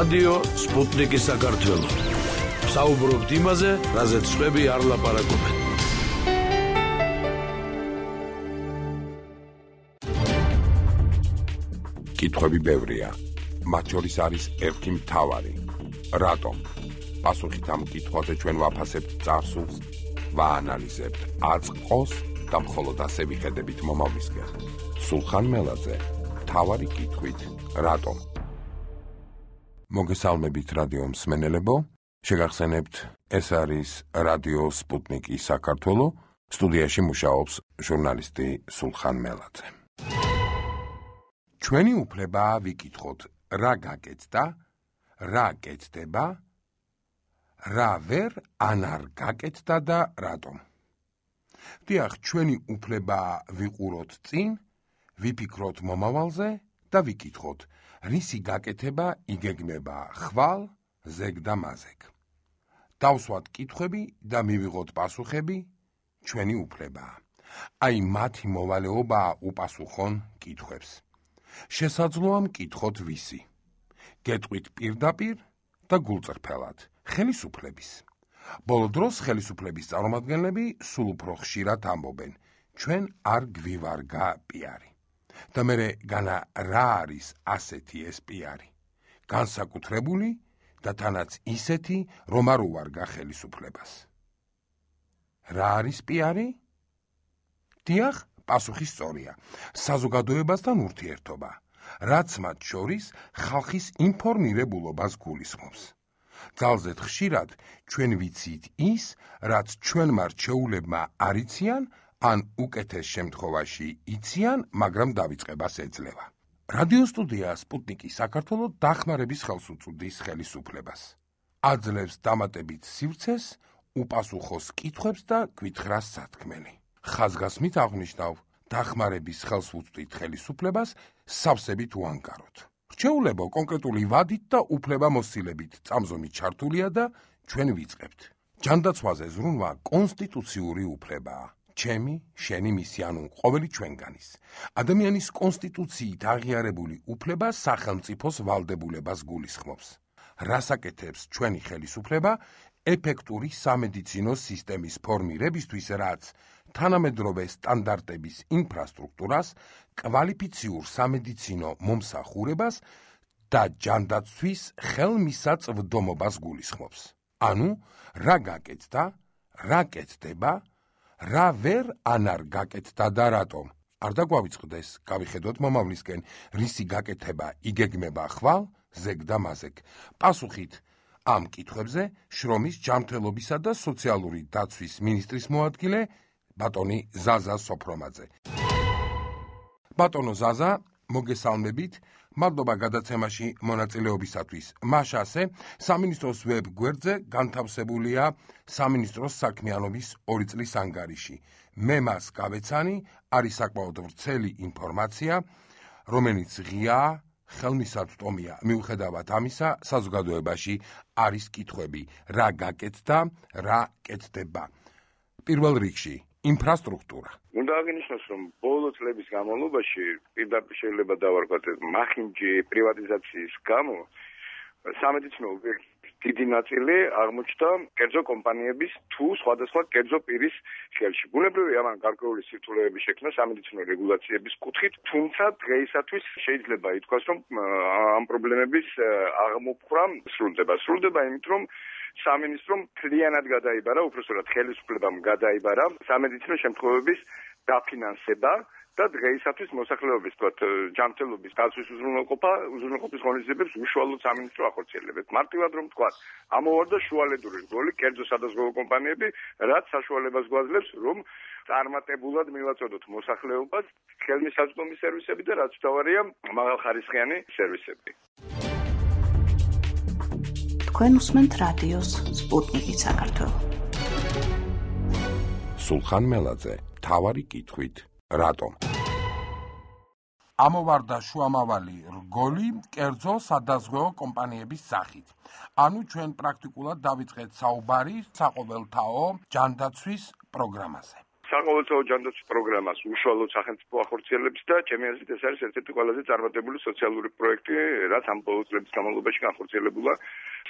რადიო სპუტნიკი საქართველო. საუბრობთ იმაზე, რაზეც სხვები არ ლაპარაკობენ. კითხვები ბევრია. მათ შორის არის ერთი მთავარი. რატომ? პასუხით ამ კითხვაზე ჩვენ ვაფასებთ წარსულს, ვაანალიზებთ აწყოს და მხოლოდ ასე ვიხედებით მომავლისკენ. სულხან მელაძე, მთავარი კითხვით, რატომ? მოგესალმებით რადიო მსმენელებო, შეგახსენებთ, ეს არის რადიო სპუტნიკი საქართველო, სტუდიაში მუშაობს ჟურნალისტი სულხან მელაძე. ჩვენი უფლებაა ვიკითხოთ, რა გაკეთდა, რა კეთდება, რა ვერ ან არ გაკეთდა და რატომ. დიახ, ჩვენი უფლებაა ვიყუროთ წინ, ვიფიქროთ მომავალზე და ვიკითხოთ, რისი გაკეთება იგეგმება ხვალ, ზეგ და მაზეგ. დავსვათ კითხვები და მივიღოთ პასუხები, ჩვენი უფლებაა. აი მათი მოვალეობაა უპასუხონ კითხვებს. შესაძლოა მკითხოთ ვისი. გეტყვით პირდაპირ და გულწრფელად, ხელისუფლების. ბოლო დროს ხელისუფლების წარმომადგენლები სულ უფრო ხშირად ამბობენ, ჩვენ არ გვივარგა პიარი. და მერე განა რა არის ასეთი ეს პიარი? განსაკუთრებული და თანაც ისეთი, რომ არ უვარგა ხელისუფლებას. რა არის პიარი? დიახ, პასუხი სწორია. საზოგადოებასთან ურთიერთობა, რაც მათ შორის ხალხის ინფორმირებულობას გულისხმობს. ძალზედ ხშირად ჩვენ ვიცით ის, რაც ჩვენმა რჩეულებმა არ იციან, ან უკეთეს შემთხვევაში იციან, მაგრამ დავიწყებას ეძლევა. რადიო სტუდია სპუტნიკი საქართველო დახმარების ხელს უწვდის ხელისუფლებას. აძლევს დამატებით სივრცეს, უპასუხოს კითხვებს და გვითხრას სათქმელი. ხაზგასმით აღნიშნავ, დახმარების ხელს უწვდით ხელისუფლებას, სავსებით უანგაროთ. რჩეულებო კონკრეტული ვადით და უფლებამოსილებით წამზომი ჩართულია და ჩვენ ვიწყებთ. ჯანდაცვაზე ზრუნვა კონსტიტუციური უფლებაა. ჩემი, შენი, მისი, ანუ ყოველი ჩვენგანის. ადამიანის კონსტიტუციით აღიარებული უფლება სახელმწიფოს ვალდებულებას გულისხმობს. რას აკეთებს ჩვენი ხელისუფლება ეფექტური სამედიცინო სისტემის ფორმირებისთვის, რაც თანამედროვე სტანდარტების ინფრასტრუქტურას, კვალიფიციურ სამედიცინო მომსახურებას და ჯანდაცვის ხელმისაწვდომობას გულისხმობს. ანუ, რა გაკეთდა, რა კეთდება, რა ვერ ან არ გაკეთდა და რატომ. არ დაგვავიწყდეს, გავიხედოთ მომავლისკენ, რისი გაკეთება იგეგმება ხვალ, ზეგ და მაზეგ. პასუხით ამ კითხვებზე შრომის ჯანმრთელობისა და სოციალური დაცვის მინისტრის მოადგილე ბატონი ზაზა სოფრომაძე. ბატონო ზაზა, მოგესალმებით, მადლობა გადაცემაში მონაწილეობისათვის. მაშასე, სამინისტროს ვებ გვერდზე განთავსებულია სამინისტროს საქმიანობის 2 წლის ანგარიში. მე მას გავეცანი, არის საკმაოდ ვრცელი ინფორმაცია, რომელიც ღიაა, ხელმისაწვდომია. მიუხედავად ამისა, საზოგადოებაში არის კითხვები, რა გაკეთდა, რა კეთდება. პირველ რიგში, ინფრასტრუქტურა. უნდა აღინიშნოს, რომ ბოლო წლების განმავლობაში პირდაპირ შეიძლება დავარქვათ მახინჯი პრივატიზაციის გამო სამედიცინო ობიექტების დიდი ნაწილი აღმოჩნდა კერძო კომპანიების თუ სხვადასხვა კერძო პირის ხელში. ბუნებრივია ამან გარკვეული სირთულეები შექმნა სამედიცინო რეგულაციების კუთხით, თუმცა დღეისათვის შეიძლება ითქვას, რომ ამ პრობლემების აღმოფხვრა სრულდება იმით, რომ სამინისტრომ მთლიანად გადაიბარა, უпроსტად ხელისუფლებამ გადაიბარა სამედიცინო შემთხვევების დაფინანსება და დღეისათვის მოსახლეობის ჯანმრთელობის დაცვის უზრუნველყოფის ღონისძიებებს უშუალოდ სამინისტრო ახორციელებებს. მარტივად რომ ვთქვათ, ამოვარდა შუალედური რგოლი კერძო სადაზღვევო კომპანიები, რაც საშუალებას გვაძლევს, რომ წარმატებულად მივაწოდოთ მოსახლეობას ხელმისაწვდომი სერვისები და რაც მთავარია, მაღალხარისხიანი სერვისები. თქვენ უსმენთ რადიოს სპუტნიკი საქართველო. სულხან მელაძე, მთავარი კითხვით, რატომ? ამოვარდა შუამავალი რგოლი კერძო სადაზღვევო კომპანიების სახით. ანუ ჩვენ პრაქტიკულად დავიწყეთ საუბარი საყოველთაო ჯანდაცვის პროგრამაზე. საყოველთაო ჯანდაცვის პროგრამას უშუალოდ სახელმწიფო ახორციელებს და ჩემი აზრით ეს არის ერთ-ერთი ყველაზე წარმატებული სოციალური პროექტი, რაც ამ ბოლო წლების განმავლობაში განხორციელებულა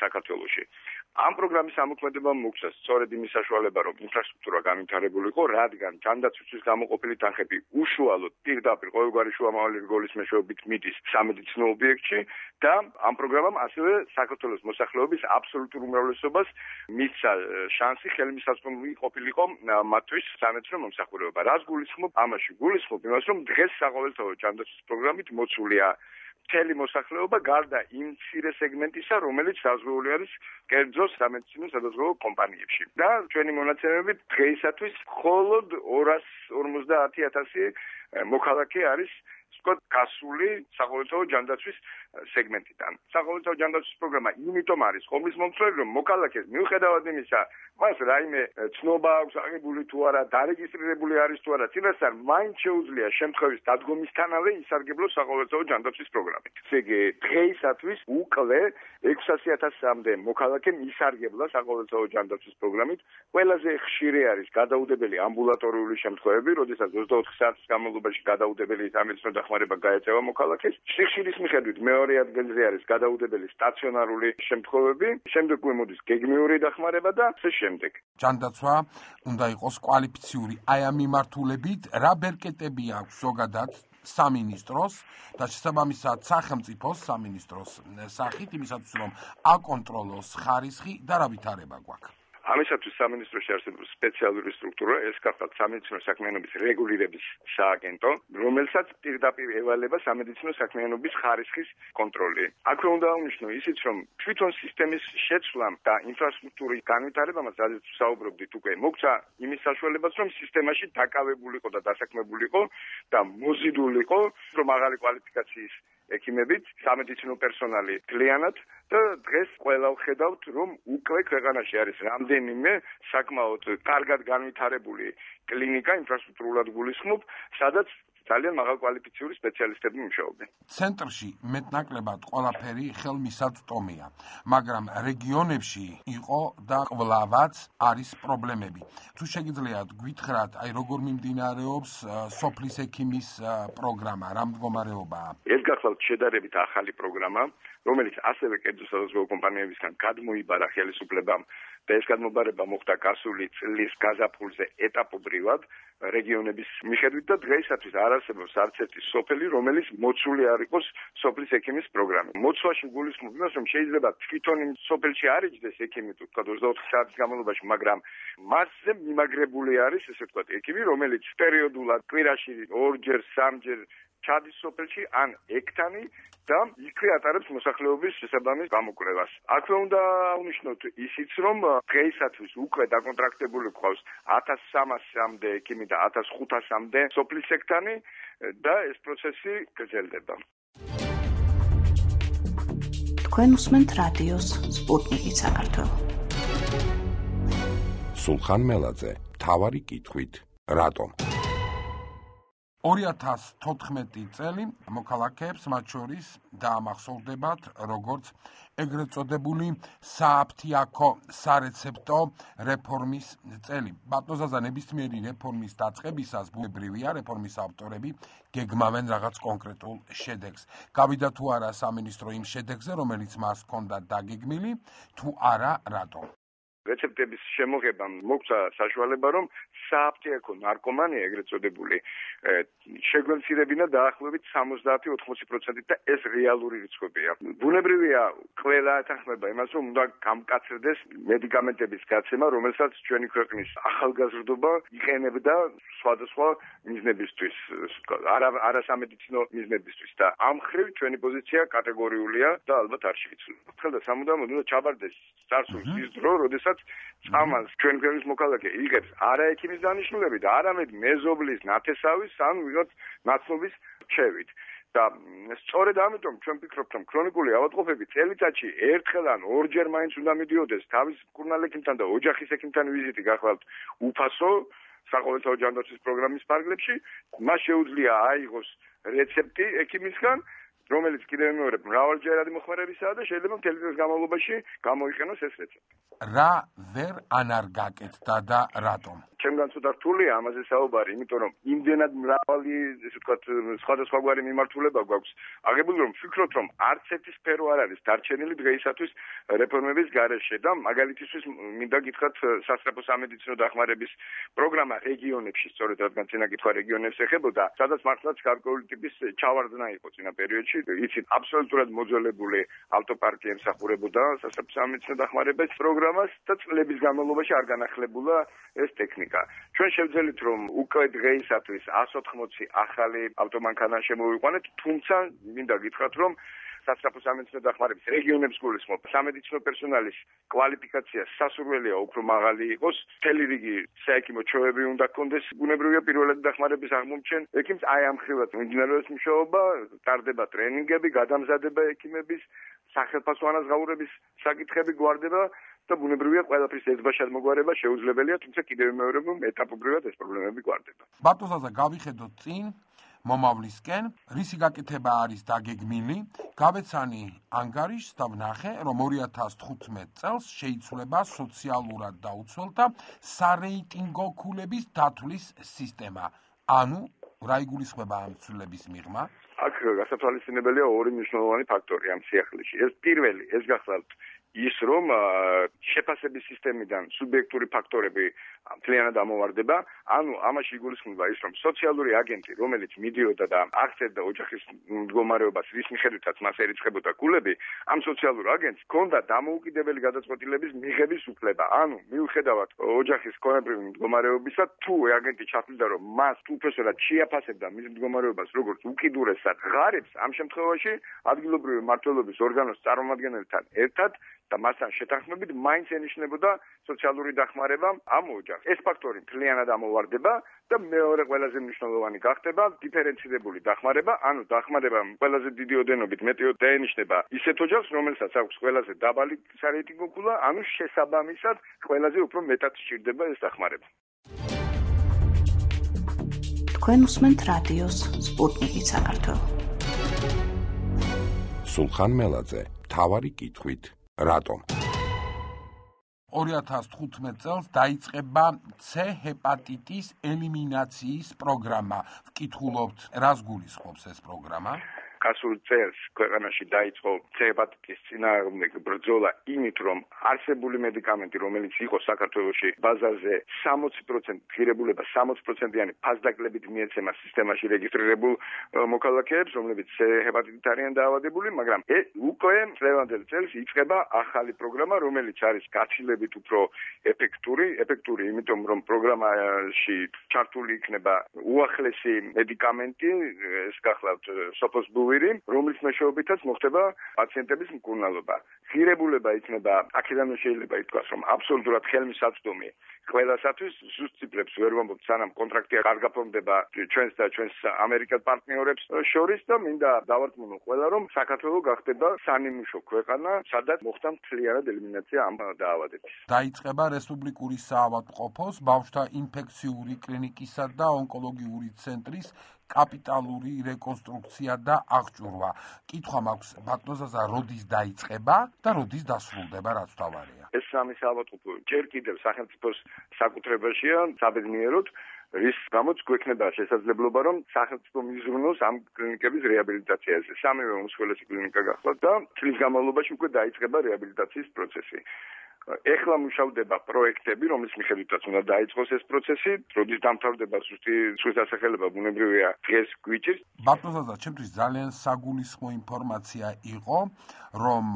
საქართველოში. ამ პროგრამის ამოქმედებამ მოგცა სწორედ იმის საშუალება, რომ ინფრასტრუქტურა განვითარებულიყო, რადგან ჯანდაცვისთვის გამოყოფილი თანხები უშუალოდ პირდაპირ ყოველგვარი შუამავალი რგოლის მეშვეობით მიდის სამედიცინო ობიექტში და ამ პროგრამამ ასევე საქართველოს მოსახლეობის აბსოლუტურ უმრავლესობას მისცა შანსი ხელმისაწვდომი ყოფილიყო მათთვის სამედიცინო მომსახურება. რას გულისხმობ? ამაში გულისხმობ იმას, რომ დღეს საყოველთაო ჯანდაცვის პროგრამით მოცულია მთელი მოსახლეობა გარდა იმ მცირე სეგმენტისა, რომელიც საზღვაური არის კერძო სამედიცინო სადაზღვევო კომპანიებში. და ჩვენი მონაცემებით დღეისათვის მხოლოდ 250,000 მოქალაქე არის გასული საყოველთაო ჯანდაცვის სეგმენტიდან. საყოველთაო ჯანდაცვის პროგრამა იმიტომ არის ხომის მომცველი, რომ მოქალაქეს მიუხედავად იმისა, მას რაიმე ცნობა აქვს აღებული თუ არა, დარეგისტრირებული არის თუ არა, წინასწარ მაინც შეუძლია შემთხვევის დადგომისთანავე ისარგებლოს საყოველთაო ჯანდაცვის პროგრამით. ესე იგი, დღეისათვის უკვე 600,000-მდე მოქალაქემ ისარგებლა საყოველთაო ჯანდაცვის პროგრამით. ყველაზე ხშირი არის გადაუდებელი ამბულატორიული შემთხვევები, როდესაც 24 საათის განმავლობაში გადაუდებელი სამედიცინო დახმარება გაეწევა მოქალაქეს. სიხშირის მიხედვით მეორე ადგილზე არის გადაუდებელი სტაციონარული შემთხვევები, შემდეგ მოდის გეგმიური დახმარება და ასე შემდეგ. ჯანდაცვა უნდა იყოს კვალიფიციური. აი ამ მიმართულებით რა ბერკეტები აქვს ზოგადად სამინისტროს და შესაბამისად სახელმწიფოს სამინისტროს სახით იმისათვის რომ აკონტროლოს ხარისხი და რა ვითარება გვაქვს. ამისათვის სამინისტროში არსებობს სპეციალური სტრუქტურა, ეს გახლავთ სამედიცინო საქმიანობის რეგულირების სააგენტო, რომელსაც პირდაპირ ევალება სამედიცინო საქმიანობის ხარისხის კონტროლი. აქვე უნდა აღნიშნო ისიც, რომ თვითონ სისტემის შეცვლამ და ინფრასტრუქტურის განვითარებამ, სადაც საუბრობდით უკვე, მოგცა იმის საშუალებაც, რომ სისტემაში დაკავებულიყო და დასაქმებულიყო და მოზიდულიყო, რომ მაღალი კვალიფიკაციის ექიმებით, სამედიცინო პერსონალი მთლიანად და დღეს ყველა ვხედავთ, რომ უკვე ქვეყანაში არის რამდენიმე საკმაოდ კარგად განვითარებული კლინიკა ინფრასტრუქტურულად გულისხმობ, სადაც ძალიან მაღალკვალიფიციური სპეციალისტები მუშაობენ. ცენტრში მეტნაკლებად ყველაფერი ხელმისაწვდომია, მაგრამ რეგიონებში იყო და კვლავაც არის პრობლემები. თუ შეგიძლიათ გვითხრათ, აი როგორ მიმდინარეობს სოფლის ექიმის პროგრამა, რა მდგომარეობაა? ეს გახლავთ შედარებით ახალი პროგრამა, რომელიც ასევე კერძო სადაზღვევო კომპანიებისგან გადმოიბარა ხელისუფლებამ და ეს გადმობარება მოხდა გასული წლის გაზაფხულზე ეტაპობრივად რეგიონების მიხედვით და დღეისათვის არ არსებობს არც ერთი სოფელი, რომელიც მოცული არ იყოს სოფლის ექიმის პროგრამით. მოცვაში გულისხმობ იმას, რომ შეიძლება თვითონ იმ სოფელში არ იჯდეს ექიმი, თუ ვთქვათ 24 საათის განმავლობაში, მაგრამ მასზე მიმაგრებული არის, ესე ვთქვათ, ექიმი, რომელიც პერიოდულად კვირაში 2-ჯერ, 3-ჯერ ჩადის სოფელში ან ექთანი და იქვე ატარებს მოსახლეობის შესაბამის გამოკვლევას. აქვე უნდა აღნიშნოთ ისიც, რომ დღეისათვის უკვე დაკონტრაქტებული გვყავს 1300-მდე ექიმი და 1500-მდე სოფლის ექთანი და ეს პროცესი გრძელდება. თქვენ უსმენთ რადიოს სპუტნიკი საქართველო. სულხან მელაძე, მთავარი კითხვით, რატომ? 2014 წელი მოქალაქეებს მათ შორის დაამახსოვრდებათ როგორც ეგრეთ წოდებული სააფთიაქო სარეცეპტო რეფორმის წელი. ბატონზაზა ნებისმიერი რეფორმის დაწყებისას ბუნებრივია რეფორმის ავტორები გეგმავენ რაღაც კონკრეტულ შედეგს. გავიდა თუ არა სამინისტრო იმ შედეგზე, რომელიც მას ჰქონდა დაგეგმილი, თუ არა რატომ? რეცეპტების შემოღებამ მოგცა საშუალება, რომ სააფთიაქო ნარკომანია ეგრეთ წოდებული შეგვემცირებინა დაახლოებით 70-80% და ეს რეალური რიცხვებია. ბუნებრივია ყველა ეთანხმება იმას, რომ უნდა გამკაცრდეს მედიკამენტების გაცემა, რომელსაც ჩვენი ქვეყნის ახალგაზრდობა იყენებდა სხვადასხვა მიზნებისთვის, არასამედიცინო მიზნებისთვის და ამ ხრივ ჩვენი პოზიცია კატეგორიულია და ალბათ არ შევიცვლება. ხელდა სამუდამოდ უნდა ჩაბარდეს წარსულს ის დრო, როდესაც წამალს ჩვენ ქვეყნის მოქალაქე იღებს არა ექიმის დანიშნულებით, არამედ მეზობლის, ნათესავის ან ვიღაც ნაცნობის რჩევით. და სწორედ ამიტომ ჩვენ ვფიქრობთ, რომ ქრონიკული ავადმყოფები წელიწადში ერთხელ ან ორჯერ მაინც უნდა მიდიოდეს თავის მკურნალ ექიმთან და ოჯახის ექიმთან ვიზიტი გახლავთ უფასო საყოველთაო ჯანდაცვის პროგრამის ფარგლებში, მას შეუძლია აიღოს რეცეპტი ექიმისგან, რომელიც კიდევ მეორე მრავალჯერადი მოხმარებისაა და შეიძლება მთელი წლის განმავლობაში გამოიყენოს ეს რეცეპტი. რა ვერ ანარგაკეთდა და რატომ? ჩემგან ცოტა რთულია ამაზე საუბარი, იმიტომ რომ იმდენად მრავალი, ესე ვთქვათ, სხვადასხვაგვარი მიმართულება გვაქვს აღებული, რომ ვფიქრობ, რომ არც ერთი სფერო არ არის დარჩენილი დღეისათვის რეფორმების გარეშე და მაგალითისთვის მინდა გითხრათ სასწრაფო სამედიცინო დახმარების პროგრამა რეგიონებში, სწორედ რადგან წინა კითხვა რეგიონებს ეხებოდა, სადაც მართლაც გარკვეული ტიპის ჩავარდნა იყო წინა პერიოდში, იცით, აბსოლუტურად მოძველებული ავტოპარკი ემსახურებოდა სასწრაფო სამედიცინო დახმარების პროგრამას და წლების განმავლობაში არ განახლებულა ეს ტექნიკა. ჩვენ შევძელით, რომ უკვე დღეისათვის 180 ახალი ავტომანქანა შემოვიყვანეთ, თუმცა მინდა გითხრათ, რომ სასწრაფო სამედიცინო დახმარების რეგიონებს გულისხმობ. სამედიცინო პერსონალის კვალიფიკაცია სასურველია უფრო მაღალი იყოს. მთელი რიგი საექიმო ჩვევები უნდა გქონდეს. ბუნებრივია პირველადი დახმარების აღმომჩენ. ექიმს აი ამ ხრივად მიმდინარეობს მუშაობა, ტარდება ტრენინგები, გადამზადება ექიმების, სახელმწიფო ანაზღაურების საკითხები გვარდება და ბუნებრივია ყველაფრის ერთბაშადმოგვარება შეუძლებელია, თუმცა კიდევ მეორე ეტაპობრივად ეს პრობლემები გვარდება. ბატონსა, გავიხედოთ წინ მომავლისკენ, რისი გაკეთება არის დაგეგმილი, გავეცანი ანგარიშს და ვნახე, რომ 2015 წელს შეიცვლება სოციალურად დაუცველთა სარეიტინგო ქულების დათვლის სისტემა. ანუ რა იგულისხმება ამ ცვლილების მიღმა? აქ გასათვალისწინებელია ორი მნიშვნელოვანი ფაქტორი ამ სიახლეში. ეს პირველი, ეს გახლავთ ის რომ შეფასების სისტემიდან სუბიექტური ფაქტორები მთლიანად ამოვარდება, ანუ ამაში იგულისხმება ის, რომ სოციალური აგენტი, რომელიც მიდიოდა და აღწერდა ოჯახის მდგომარეობას, რის მიხედვითაც მას ერიცხებოდა ქულები, ამ სოციალურ აგენტს ჰქონდა დამოუკიდებელი გადაწყვეტილების მიღების უფლება. ანუ მიუხედავად ოჯახის ქონებრივი მდგომარეობისა, თუ აგენტი ჩათვლიდა, რომ მას უფესურად შეაფასებდა მის მდგომარეობას როგორც უკიდურესად ღარიბს, ამ შემთხვევაში ადგილობრივი მმართველობის ორგანოს წარმომადგენელთან ერთად და მასთან შეთანხმებით მაინც ენიშნებოდა სოციალური დახმარება ამ ოჯახს. ეს ფაქტორი მთლიანად ამოვარდება და მეორე ყველაზე მნიშვნელოვანი გახდება დიფერენცირებული დახმარება, ანუ დახმარება ყველაზე დიდი ოდენობით მეტიოდ დაენიშნება ისეთ ოჯახს, რომელსაც აქვს ყველაზე დაბალი სარეიტინგო ქულა, ანუ შესაბამისად ყველაზე უფრო მეტად სჭირდება ეს დახმარება. თქვენ უსმენთ რადიოს სპუტნიკი საქართველო. სულხან მელაძე, მთავარი კითხვით. რატომ? 2015 წელს დაიწყება C ჰეპატიტის ელიმინაციის პროგრამა. ვკითხულობთ, რას გულისხმობს ეს პროგრამა? გასულ წელს ქვეყანაში დაიწყო C ჰეპატიტის წინააღმდეგ ბრძოლა იმით, რომ არსებული მედიკამენტი, რომელიც იყო საქართველოში ბაზარზე 60% ღირებულება 60%-იანი ფასდაკლებით მიეცემა სისტემაში რეგისტრირებულ მოქალაქეებს, რომლებიც C ჰეპატიტით არიან დაავადებული, მაგრამ უკვე წლევანდელ წელს იწყება ახალი პროგრამა, რომელიც არის გაცილებით უფრო ეფექტური, იმიტომ რომ პროგრამაში ჩართული იქნება უახლესი მედიკამენტი, ეს გახლავთ სოფოსბუვირი, რომლის მეშვეობითაც მოხდება პაციენტების მკურნალობა. ღირებულება იქნება, აქედან შეიძლება ითქვას, რომ აბსოლუტურად ხელმისაწვდომი ყველასათვის, ზუსტ ციფრებს ვერ ვამბობთ, სანამ კონტრაქტი არ გაფორმდება ჩვენს და ჩვენს ამერიკელ პარტნიორებს შორის და მინდა დავარწმუნო ყველა, რომ საქართველო გახდება სანიმუშო ქვეყანა, სადაც მოხდა მთლიანად ელიმინაცია ამ დაავადების. დაიწყება რესპუბლიკური საავადმყოფოს, ბავშვთა ინფექციური კლინიკისა და ონკოლოგიური ცენტრის კაპიტალური რეკონსტრუქცია და აღჭურვა. კითხვა მაქვს, ბატონსა, როდის დაიწყება და როდის დასრულდება, რაც თავარია? ეს სამი საავადმყოფო ჯერ კიდევ სახელმწიფოს საკუთრებაშია, საბედნიეროდ, რის გამოც გვექნება შესაძლებლობა, რომ სახელმწიფო მიზრუნოს ამ კლინიკების რეაბილიტაციაზე. სამივე უმსხვილესი კლინიკა გახლავთ და წლის განმავლობაში უკვე დაიწყება რეაბილიტაციის პროცესი. ეხლა მუშავდება პროექტები, რომლის მიხედვითაც უნდა დაიწყოს ეს პროცესი, როდის დამთავრდება ზუსტი დასახელება ბუნებრივია დღეს გვიჭირს. ბატონსა, ჩემთვის ძალიან საგულისხმო ინფორმაცია იყო, რომ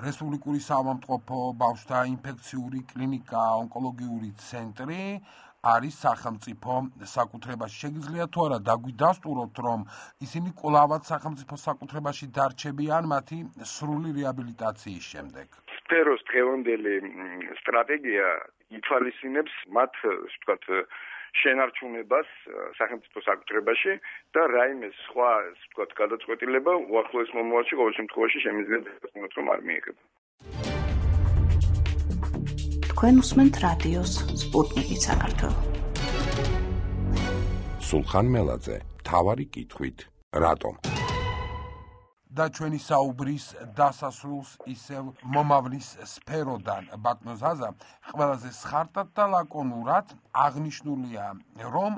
რესპუბლიკური საავადმყოფო, ბავშვთა ინფექციური კლინიკა, ონკოლოგიური ცენტრი არის სახელმწიფო საკუთრებაში. შეგიძლიათ თუ არა დაგვიდასტუროთ, რომ ისინი კვლავაც სახელმწიფო საკუთრებაში დარჩებიან მათი სრული რეაბილიტაციის შემდეგ? სფეროს დღევანდელი სტრატეგია ითვალისწინებს მათ, ვთქვათ, შენარჩუნებას სახელმწიფო საკუთრებაში და რაიმე სხვა, ვთქვათ, გადაწყვეტილება უახლოეს მომავალში ყოველ შემთხვევაში შემიძლია დაგესტუროთ, რომ არ მიიღება. თქვენ უსმენთ რადიოს სპუტნიკი საქართველო. სულხან მელაძე, მთავარი კითხვით. რატომ? და ჩვენი საუბრის დასასრულს ისევ მომავლის სფეროდან ბატონო ზაზა, ყველაზე სხარტად და ლაკონურად აღნიშნულია, რომ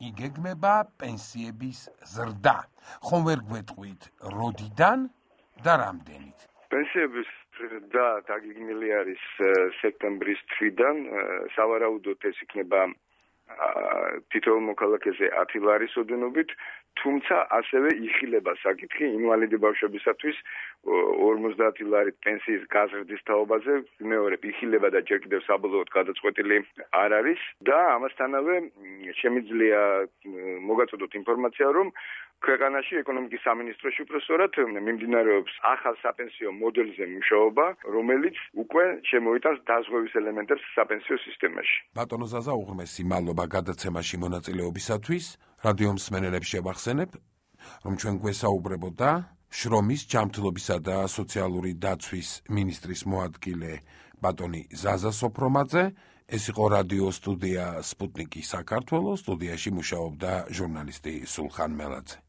იგეგმება პენსიების ზრდა. ხომ ვერ გვეტყვით, როდიდან და რამდენით? პენსიების ზრდა დაგეგმილი არის სექტემბრის თვიდან, სავარაუდოდ ეს იქნება თითოეულ მოქალაქეზე 10 ლარის ოდენობით, თუმცა ასევე იხილება საკითხი ინვალიდი ბავშვებისათვის 50 ლარით პენსიის გაზრდის თაობაზე, მეორე იხილება და ჯერ კიდევ საბოლოოდ გადაწყვეტილი არ არის და ამასთანავე შემიძლია მოგაწოდოთ ინფორმაცია, რომ ქვეყანაში ეკონომიკის სამინისტროში უпроსტორად მიმდინარეობს ახალ საპენსიო მოდელზე მუშაობა, რომელიც უკვე შემოიტანს დაზღვევის ელემენტებს საპენსიო სისტემაში. ბატონო ზაზა, უღრმესი მადლობა გადაცემაში მონაწილეობისათვის. რადიო მსმენელებს შევახსენებ, რომ ჩვენ გვესაუბრებოდა შრომის, ჯანმრთელობისა და სოციალური დაცვის მინისტრის მოადგილე ბატონი ზაზა სოფრომაძე. ეს იყო რადიო სტუდია სპუტნიკი საქართველოს, სტუდიაში მუშაობდა ჟურნალისტი სულხან მელაძე.